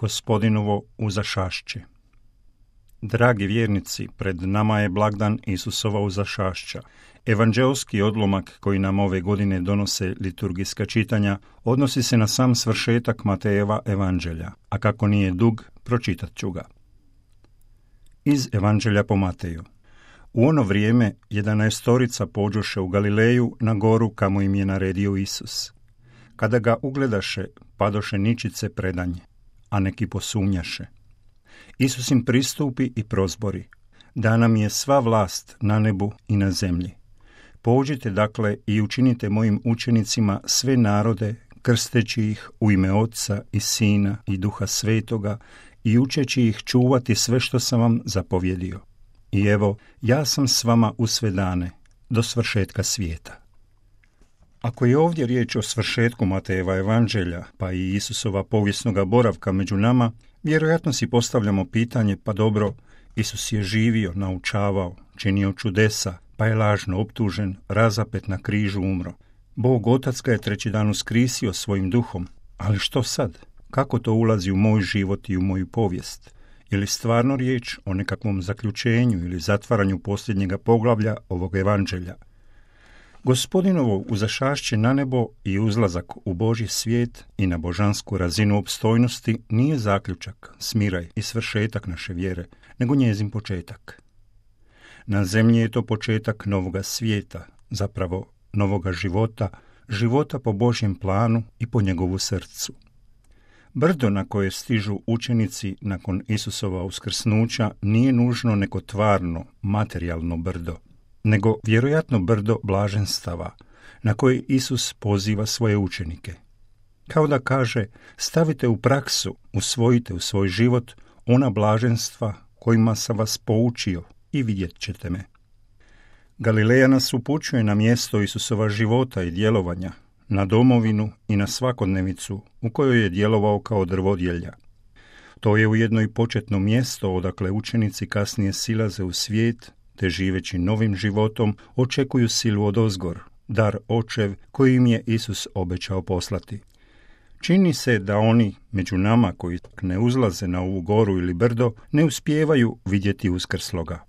Gospodinovo uzašašće. Dragi vjernici, pred nama je blagdan Isusova uzašašća. Evanđeoski odlomak koji nam ove godine donose liturgijska čitanja odnosi se na sam svršetak Matejeva evanđelja, a kako nije dug, pročitat ću ga. Iz Evanđelja po Mateju. U ono vrijeme 11 pođoše u Galileju na goru kamo im je naredio Isus. Kada ga ugledaše, padoše ničice predanje, a neki posumnjaše. Isus im pristupi i prozbori: dana mi je sva vlast na nebu i na zemlji. Pođite dakle i učinite mojim učenicima sve narode, krsteći ih u ime Oca i Sina i Duha Svetoga i učeći ih čuvati sve što sam vam zapovjedio. I evo, ja sam s vama u sve dane, do svršetka svijeta. Ako je ovdje riječ o svršetku Matejeva evanđelja, pa i Isusova povijesnoga boravka među nama, vjerojatno si postavljamo pitanje: pa dobro, Isus je živio, naučavao, činio čudesa, pa je lažno optužen, razapet na križu umro. Bog Otac ga je treći dan uskrisio svojim duhom, ali što sad? Kako to ulazi u moj život i u moju povijest? Je li stvarno riječ o nekakvom zaključenju ili zatvaranju posljednjega poglavlja ovog evanđelja? Gospodinovo uzašašće na nebo i uzlazak u Božji svijet i na božansku razinu opstojnosti nije zaključak, smiraj i svršetak naše vjere, nego njezin početak. Na zemlji je to početak novoga svijeta, zapravo novoga života, života po Božjem planu i po njegovu srcu. Brdo na koje stižu učenici nakon Isusova uskrsnuća nije nužno neko tvarno, materijalno brdo, nego vjerojatno brdo blaženstava na koje Isus poziva svoje učenike. Kao da kaže: stavite u praksu, usvojite u svoj život ona blaženstva kojima sam vas poučio i vidjet ćete me. Galileja nas upućuje na mjesto Isusova života i djelovanja, na domovinu i na svakodnevicu u kojoj je djelovao kao drvodjelja. To je ujedno i početno mjesto odakle učenici kasnije silaze u svijet, te živeći novim životom očekuju silu odozgor, dar očev koji im je Isus obećao poslati. Čini se da oni među nama koji ne uzlaze na ovu goru ili brdo ne uspijevaju vidjeti uskrsloga.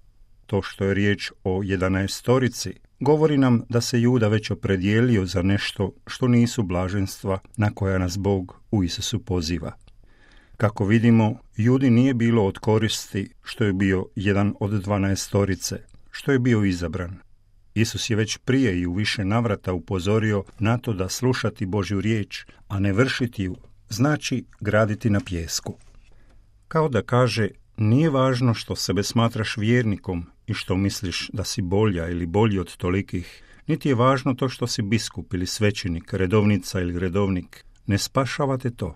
To što je riječ o 11 govori nam da se Juda već opredijelio za nešto što nisu blaženstva na koja nas Bog u Isusu poziva. Kako vidimo, Judi nije bilo od koristi što je bio jedan od 12, što je bio izabran. Isus je već prije i u više navrata upozorio na to da slušati Božju riječ, a ne vršiti ju, znači graditi na pijesku. Kao da kaže: nije važno što sebe smatraš vjernikom i što misliš da si bolja ili bolji od tolikih, niti je važno to što si biskup ili svećenik, redovnica ili redovnik. Ne spašavate to,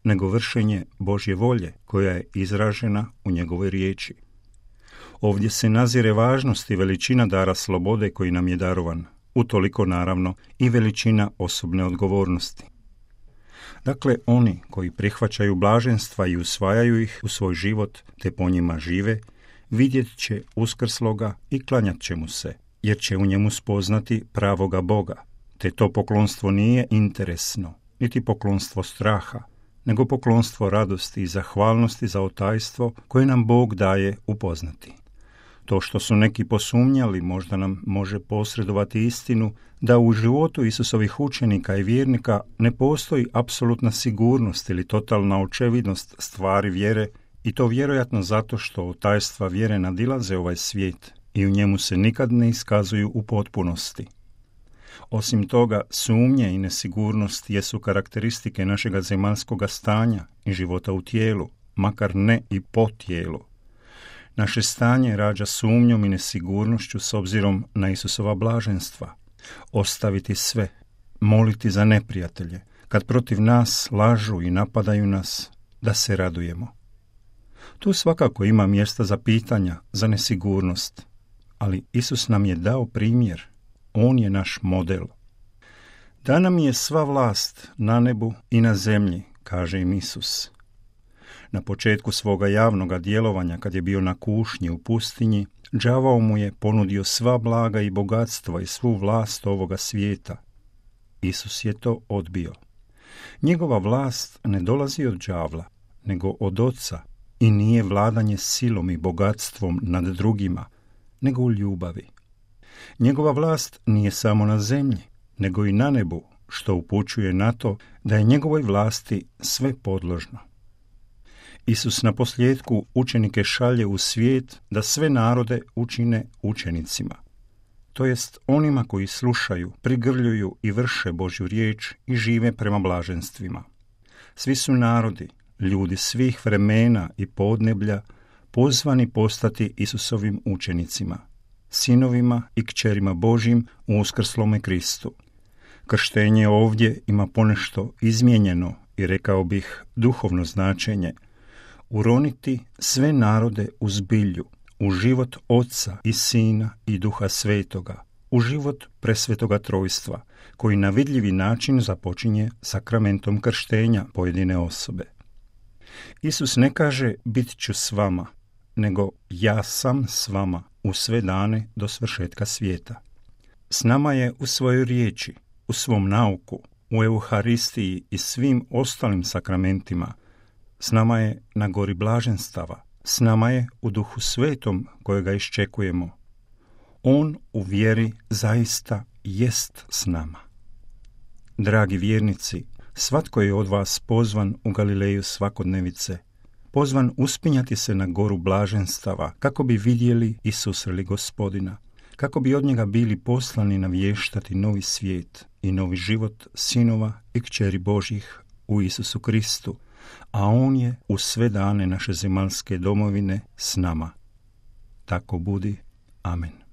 nego vršenje Božje volje koja je izražena u njegovoj riječi. Ovdje se nazire važnost i veličina dara slobode koji nam je darovan, utoliko naravno i veličina osobne odgovornosti. Dakle, oni koji prihvaćaju blaženstva i usvajaju ih u svoj život te po njima žive, vidjet će uskrsloga i klanjat će mu se, jer će u njemu spoznati pravoga Boga, te to poklonstvo nije interesno, niti poklonstvo straha, nego poklonstvo radosti i zahvalnosti za otajstvo koje nam Bog daje upoznati. To što su neki posumnjali možda nam može posredovati istinu da u životu Isusovih učenika i vjernika ne postoji apsolutna sigurnost ili totalna očevidnost stvari vjere, i to vjerojatno zato što otajstva vjere nadilaze ovaj svijet i u njemu se nikad ne iskazuju u potpunosti. Osim toga, sumnje i nesigurnost jesu karakteristike našega zemaljskoga stanja i života u tijelu, makar ne i po tijelu. Naše stanje rađa sumnjom i nesigurnošću s obzirom na Isusova blaženstva. Ostaviti sve, moliti za neprijatelje, kad protiv nas lažu i napadaju nas, da se radujemo. Tu svakako ima mjesta za pitanja, za nesigurnost, ali Isus nam je dao primjer. On je naš model. Dana mi je sva vlast na nebu i na zemlji, kaže im Isus. Na početku svoga javnoga djelovanja, kad je bio na kušnji u pustinji, đavao mu je ponudio sva blaga i bogatstva i svu vlast ovoga svijeta. Isus je to odbio. Njegova vlast ne dolazi od đavla, nego od Oca i nije vladanje silom i bogatstvom nad drugima, nego u ljubavi. Njegova vlast nije samo na zemlji, nego i na nebu, što upućuje na to da je njegovoj vlasti sve podložno. Isus na posljedku učenike šalje u svijet da sve narode učine učenicima, to jest onima koji slušaju, prigrljuju i vrše Božju riječ i žive prema blaženstvima. Svi su narodi, ljudi svih vremena i podneblja, pozvani postati Isusovim učenicima, sinovima i kćerima Božjim u uskrslome Kristu. Krštenje ovdje ima ponešto izmijenjeno i rekao bih duhovno značenje, uroniti sve narode u zbilju, u život Oca i Sina i Duha Svetoga, u život presvetoga trojstva, koji na vidljivi način započinje sakramentom krštenja pojedine osobe. Isus ne kaže bit ću s vama, nego ja sam s vama u sve dane do svršetka svijeta. S nama je u svojoj riječi, u svom nauku, u Euharistiji i svim ostalim sakramentima. S nama je na gori blaženstava, s nama je u Duhu Svetom kojega iščekujemo. On u vjeri zaista jest s nama. Dragi vjernici, svatko je od vas pozvan u Galileju svakodnevice, pozvan uspinjati se na goru blaženstava kako bi vidjeli i susreli Gospodina, kako bi od njega bili poslani navještati novi svijet i novi život sinova i kćeri Božjih u Isusu Kristu, a on je u sve dane naše zemaljske domovine s nama. Tako budi. Amen.